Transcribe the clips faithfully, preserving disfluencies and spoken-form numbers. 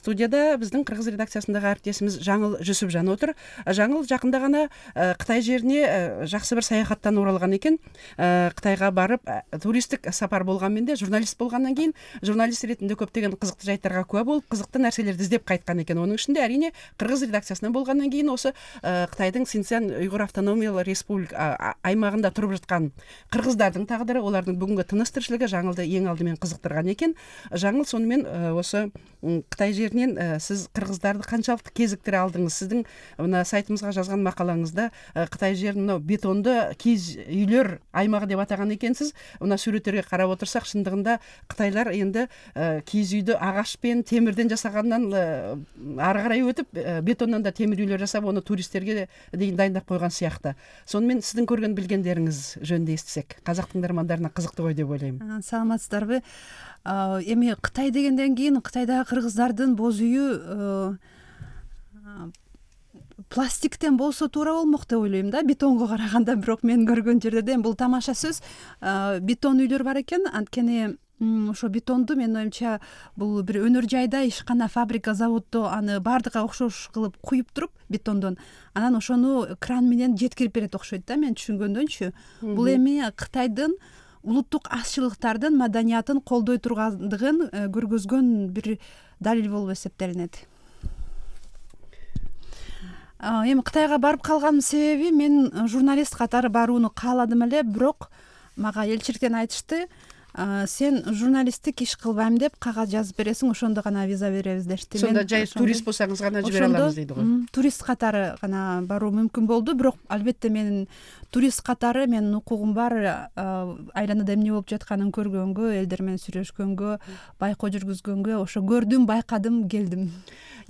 студияда биздин кыргыз редакциясындагы әріптесimiz Жаңыл Жүсүпжан отур. Жаңыл жакында гана Кытай жерине жакшы бир саякаттан уралган экен. Кытайга барып туристтик сапар болгон менде журналист болгондон кийин журналист иретинде көптөгөн кызыктуу жайттарга куа болуп, кызыктуу нерселерди издеп кайткан экен. Онун ичинде әрине кыргыз редакциясынан болгондон кийин осы Кытайдын Синьцзян уйгур автономиялык республика аймагында туруп жаткан кыргыздардын тагдыры, олардын бүгүнкү тыныс тирчилиги Жаңылды эң алды менен кызыктырган экен. Жаңыл, сонымен осы Кытай жеринен сиз кыргыздарды канчалык кезиктире алдыңыз? Сиздин мына сайтыбызга жазган макалаңызда Кытай жерин мына бетондо кийиз үйлөр аймагы деп атаган экенсиз. Мына сүрөттөргө карап отурсак, чындыгында кытайлар энди кийиз үйдү агашпен, темирден жасагандан ары карай өтүп, бетондон да темир үйлөр жасап, аны туристтерге дейин дайындап койгон сыяктуу. Сонымен сиздин көргөн билгендериңиз жөнүндө эстесек, казак тыңдармандарына кызыктуу ой деп ойлойм. Саламатсыздарбы? Эми Кытай дегенден кийин Кытайдагы кыргыздардын боз үйү пластиктен болсо туура болмок деп ойлойм да, бетонго караганда. Бирок мен көргөн жерде бул тамаша сөз. Бетон үйлөр бар экен. Анткени ошо бетонду менин оюмча бул бир өнөр жайда, ишкана, фабрика, заводдо аны баардыгы окшош кылып куюп туруп бетондон, анан ошону кран менен жеткирип берет окшойт да, мен түшүнгөндөнчү. Бул эми Кытайдын улуттук азчылыктардын маданиятын колдой тургандыгын көргөзгөн бир далил болуп эсептелинет. Эми Кытайга барып калганымдын себеби, мен журналист катары барууну кааладым эле, бирок мага элчиликтен айтышты, сен журналисттик иш кылбайм деп кагаз жазып бересиң, ошондо гана виза беребиз дешти. Сонда жай турист болсаңыз гана жибере алабыз дейди го. Турист катары гана баруу мүмкүн болду, бирок албетте менин турист катары менин укугум бар, айланада эмне болуп жатканын көргөнгө, элдер менен сүйлөшкөнгө, байкоо жүргүзгөнгө, ошо көрдүм, байкадым, келдим.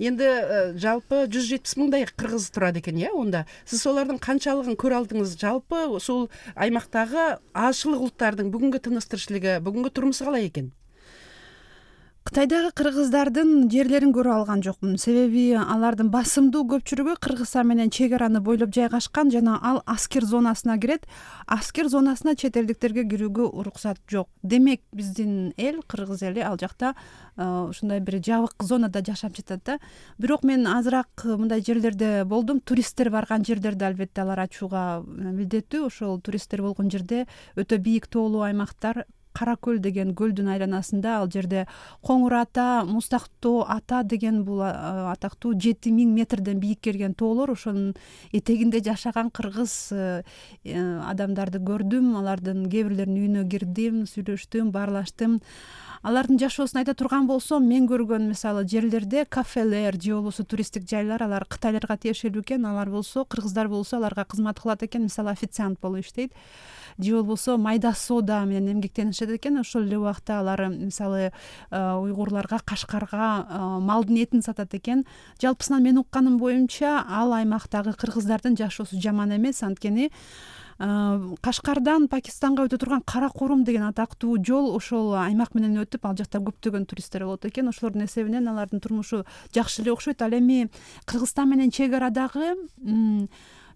Енді жалпы жүз жетимиш мыңдай кыргыз турат экен, э? Онда сиз солардын канчалыгын көрө алдыңыз? Жалпы ушул аймактагы азчылык улуттардын бүгүнкү тыныс тирчилиги, бүгүнкү турмушу калай экен? Кытайдагы кыргыздардын жерлерин көрө алган жокмун. Себеби алардын басымдуу көпчүлүгү Кыргызстан менен чек араны бойлоп жайгашкан жана ал аскер зонасына кирет. Аскер зонасына чет элдиктерге кирүүгө уруксат жок. Демек, биздин эл, кыргыз эли ал жакта ушундай бир жабык зонада жашап жатат да. Бирок мен азыраак мындай жерлерде болдум. Туристтер барган жерлерде албетте алар ачууга милдеттүү. Ошол туристтер болгон жерде өтө бийик тоолуу аймактар, Кара көл деген көлдүн айланасында, ал жерде Коңур ата, Мустактоо ата деген бул атактуу жети миң метрден бийик келген тоолор, ошонун этегинде жашаган кыргыз адамдарды көрдүм. Алардын кээ бирлеринин үйүнө кирдим, сүйлөштүм, баарлаштым. Алардын жашоосун айта турган болсом, мен көргөн мисалы жерлерде кафелер же болбосо туристтик жайлар, алар кытайларга тиешелүү экен. Алар болсо, кыргыздар болсо, аларга кызмат кылат экен, мисалы официант болуп иштейт. Же болбосо майда соода менен эмгектенишет экен. Ошол эле убакта алар мисалы уйгурларга, кашкарга малдын этин сатат экен. Жалпысынан мен укканым боюнча, ал аймактагы кыргыздардын жашоосу жаман эмес. Анткени Кашкардан Пакистанга өтө турган Кара Курум деген атактуу жол ошол аймак менен өтүп, ал жакта көптөгөн туристтер болот экен. Ошолордун эсебинен алардын турмушу жакшы эле окшойт. Ал эми Кыргызстан менен чек арадагы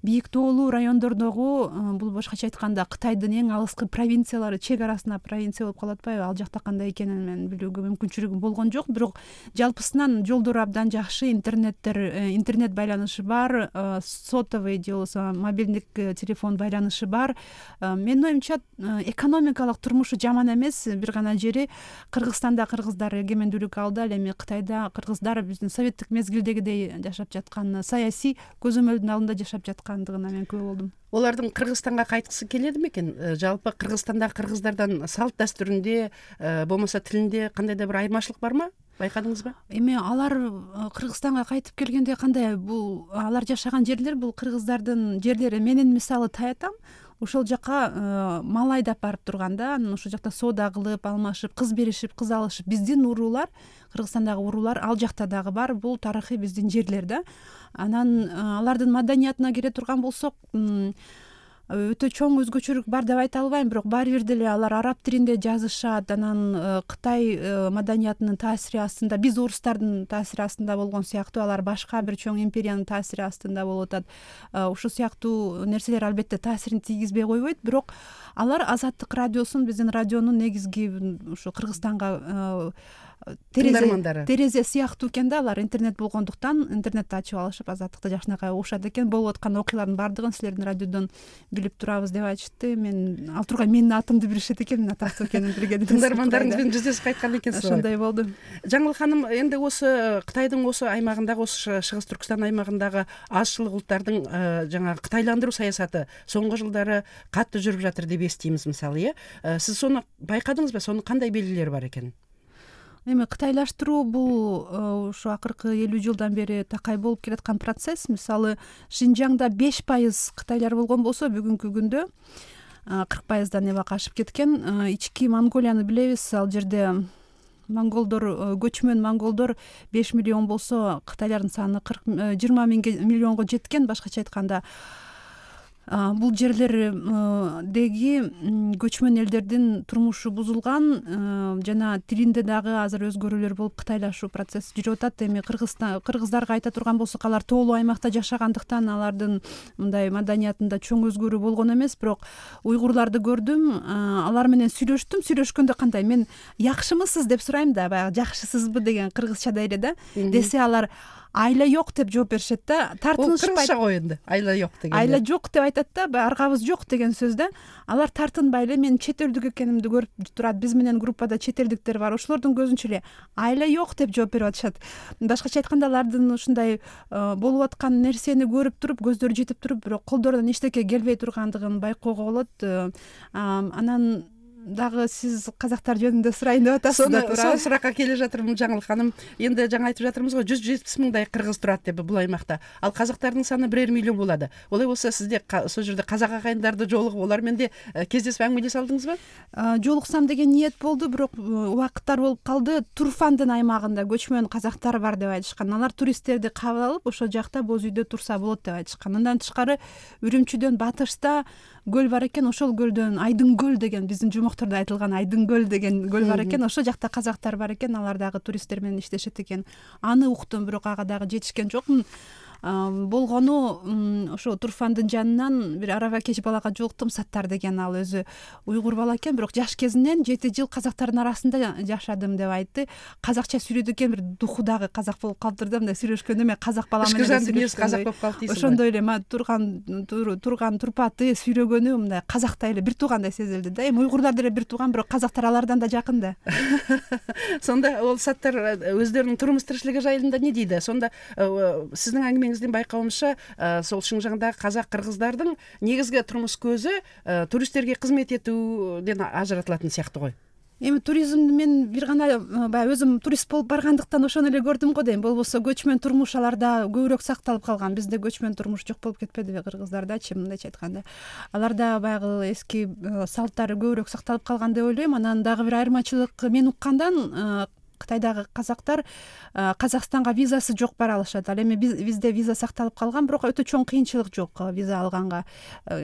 бийик тоолуу райондордогу, бул башкача айтканда Кытайдын эң алыскы провинциялары, чек арасына провинция болуп калып атпайбы? Ал жакта кандай экенин мен билүүгө мүмкүнчүлүгүм болгон жок. Бирок жалпысынан жолдору абдан жакшы, интернеттер, интернет байланышы бар, сотовый же болбосо мобилдик телефон байланышы бар. Менин оюмча экономикалык турмушу жаман эмес. Бир гана жери Кыргызстанда кыргыздар эгемендүүлүк алды, ал эми Кытайда кыргыздар биздин советтик мезгилдегидей жашап жаткан, саясий көзөмөлдүн алдында жашап жаткандыгына мен күбө болдум. Олардын Кыргызстанга кайткысы келеди бекен? Жалпы Кыргызстандагы кыргыздардан салт дастурунде, болмаса тилинде кандайдыр бир айырмачылык бармы? Байкадыңызбы? Эми алар Кыргызстанга кайтып келгенде кандай, бул алар жашаган жерлер, бул кыргыздардын жерлери. Менин мисалы Таятам ошол жака мал айдап барып турганда, анан ошол жакта соода кылып, алмашып, кыз беришип, кыз алышып, биздин уруулар, Кыргызстандагы уруулар ал жакта дагы бар. Бул тарыхый биздин жерлер да. Анан алардын маданиятына келе турган болсок, өтө чоң өзгөчөлүк бар деп айта албайм, бирок баары бир деле алар араб тилинде жазышат. Анан Кытай маданиятынын таасири астында, биз орустардын таасири астында болгон сыяктуу, алар башка бир чоң империянын таасири астында болуп атат. Ушул сыяктуу нерселер албетте таасирин тийгизбей койбойт, бирок алар Азаттык радиосун, биздин радионун негизги ушу Кыргызстанга тыңдармандары терезе сыяктуу экен да, алар интернет болгондуктан интернетти ачып алышып азаттыкты жакшынакай угушат экен. Болуп аткан окуялардын баардыгын силердин радиодон билип турабыз деп айтышты. Мен ал тургай менин атымды билишет экен, мен атактуу экенин билген эмес. Тыңдармандарыңыз менен жүздөшүп кайткан экенсиз. Ошондой болду. Жаңыл ханым, энди осы Кытайдын осы аймагындагы, осы Чыгыс Түркүстан аймагындагы азчылык улуттардын жаңагы кытайландыруу саясаты соңку жылдары катты жүрүп жатыр деп эстейбиз, мисалы, э сиз сону байкадыңызбы? Сонун кандай белгилери бар экен? Эми кытайлаштыруу бул ушу акыркы элүү жылдан бери такай болуп келаткан процесс. Мисалы, Шинжаңда беш пайыз кытайлар болгон болсо, бүгүнкү күндө кырк пайыздан небак ашып кеткен. Ички Монголияны билебиз. Ал жерде монголдор, көчмөн монголдор беш миллион болсо, кытайлардын саны жыйырма миллионго жеткен. Башкача айтканда, бул жерлердеги көчмөн элдердин турмушу бузулган жана тилинде дагы азыр өзгөрүүлөр болуп кытайлашуу процесси жүрүп атат. Эми Кыргызстан кыргыздарга айта турган болсок, алар тоолуу аймакта жашагандыктан алардын мындай маданиятында чоң өзгөрүү болгон эмес. Бирок уйгурларды көрдүм, алар менен сүйлөштүм. Сүйлөшкөндө кандай, мен жакшымысыз деп сурайм да, баягы жакшысызбы деген кыргызчада эле да, десе алар айла жок деп жооп беришет да. Тартынышпайт. Кыргызча го энди. Айла жок деген. Айла жок деп айтат да, баягы аргабыз жок деген сөз да. Алар тартынбай эле менин чет элдик экенимди көрүп турат. Биз менен группада чет элдиктер бар. Ошолордун көзүнчө эле айла жок деп жооп берип атышат. Башкача айтканда, алардын ушундай болуп аткан нерсени көрүп туруп, көздөрү жетип туруп, бирок колдорунан эчтеке келбей тургандыгын байкоого болот. Анан дагы сиз казактар жөнүндө сурайын деп атасыз да, туура? Сол суракка келе жатырмын, Жаңыл ханым. Энди жаңы айтып жатырмыз го, жүз жетимиш миңдай кыргыз турат деп бул аймакта. Ал казактардын саны бир миллион болду. Олай болсо, сизде сол жерде казак агайындарды жолугуп, олар менен кездешип аңгемелеше алдыңызбы? Жолуксам деген ниет болду, бирок убакыттар болуп калды. Турфандын аймагында көчмөн казактар бар деп айтышкан. Алар туристтерди кабыл алып, ошол жакта боз үйдө турса болот деп айтышкан. Андан тышкары Үрүмчүдөн батышта көл бар экен. Ошол көлдөн Айдын көл деген, биздин жумоктордо айтылган Айдын көл деген көл бар экен. Ошол жакта казактар бар экен. Алар дагы туристтер менен иштешет экен. Аны уктум, бирок ага дагы жетишкен жокмун. Болгону ошо Турфандын жанынан бир араба кеч балага жолуктум, Саттар деген. Ал өзү уйгур бала экен, бирок жаш кезинен жети жыл казактардын арасында жашадым деп айтты. Казакча сүйлөйт экен, бир духу дагы казак болуп калыптыр да, мындай сүйлөшкөндө мен казак бала менен сүйлөшкөндө казак болуп калды дейсиз. Ошондой эле турган турган турпаты сүйлөгөнү мындай казактай эле бир туугандай сезилди да. Эми уйгурлар деле бир тууган, бирок казактар алардан да жакын да. Сонда ол Саттар өздөрүнүн турмуш тиричилиги жайында эмне дейди? Сонда сиздин аңгемеңиздин байкауымча, сол Шинжаңдагы казак кыргыздардын негизги турмуш көзү туристтерге кызмет этүүдөн ажыратылатын сыяктуу го. Эми туризмди мен бир гана баягы өзүм турист болуп баргандыктан ошону эле көрдүм го дейм. Болбосо көчмөн турмуш аларда көбүрөөк сакталып калган. Бизде көчмөн турмуш жок болуп кетпедиби кыргыздардачы, мындайча айтканда. Аларда баягы эски салттары көбүрөөк сакталып калган деп ойлойм. Анан дагы бир айырмачылык мен уккандан, Кытайдагы казактар Казакстанга визасы жок бара алышат. Ал эми бизде виза сакталып калган, бирок өтө чоң кыйынчылык жок виза алганга.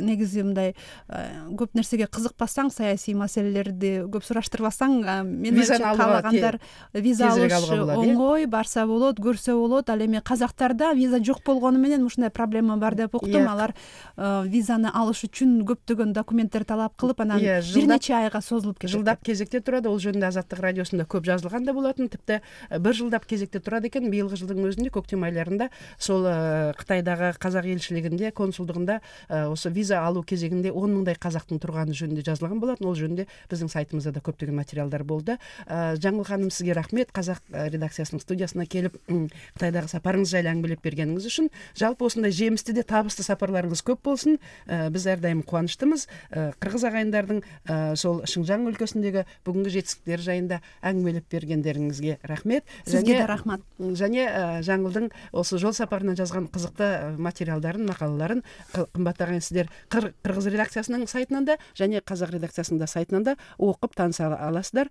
Негизи мындай көп нерсеге кызыкпасаң, саясий маселелерди көп сураштырбасаң, мен каалагандар виза алыш оңой, барса болот, көрсө болот. Ал эми казактарда виза жок болгону менен ушундай проблема бар деп уктум. Алар визаны алыш үчүн көптөгөн документтер талап кылып, анан бир нече айга созулуп кетет. Жылдап кезекте турат. Ол жөнүндө Азаттык радиосунда көп жазылган да болатын. Типти бир жылдап кезекте турат экен. Быйылгы жылдын өзүндө көктем айларында сол Кытайдагы казак элчилигинде, консулдугунда ошо виза алуу кезегинде он миңдай казактын турганы жөнүндө жазылган болатын. Ол жөнүндө биздин сайтыбызда да көптөгөн материалдар болду. Жаңыл ханым, сизге рахмет. Казак редакциясынын студиясына келип Кытайдагы сапарыңыз жайлуу аңгемелеп бергениңиз үчүн. Жалпы ушундай жемистүү де табыстуу сапарларыңыз көп болсун. Биз ар дайым кубанычтымыз. Кыргыз агайындардын сол Шинжаң өлкөсүндөгү бүгүнкү жетистиктери жайында аңгемелеп бергендериңизге рахмет. Сизге да рахмат. Және Жаңылдың осы жол сапарына жазган кызыктуу материалдарын, макалаларын кымбаттуу агайын, Кыргыз редакциясынын сайтынан да және Казак редакциясынын да сайтынан да окуп тааныса аласыздар.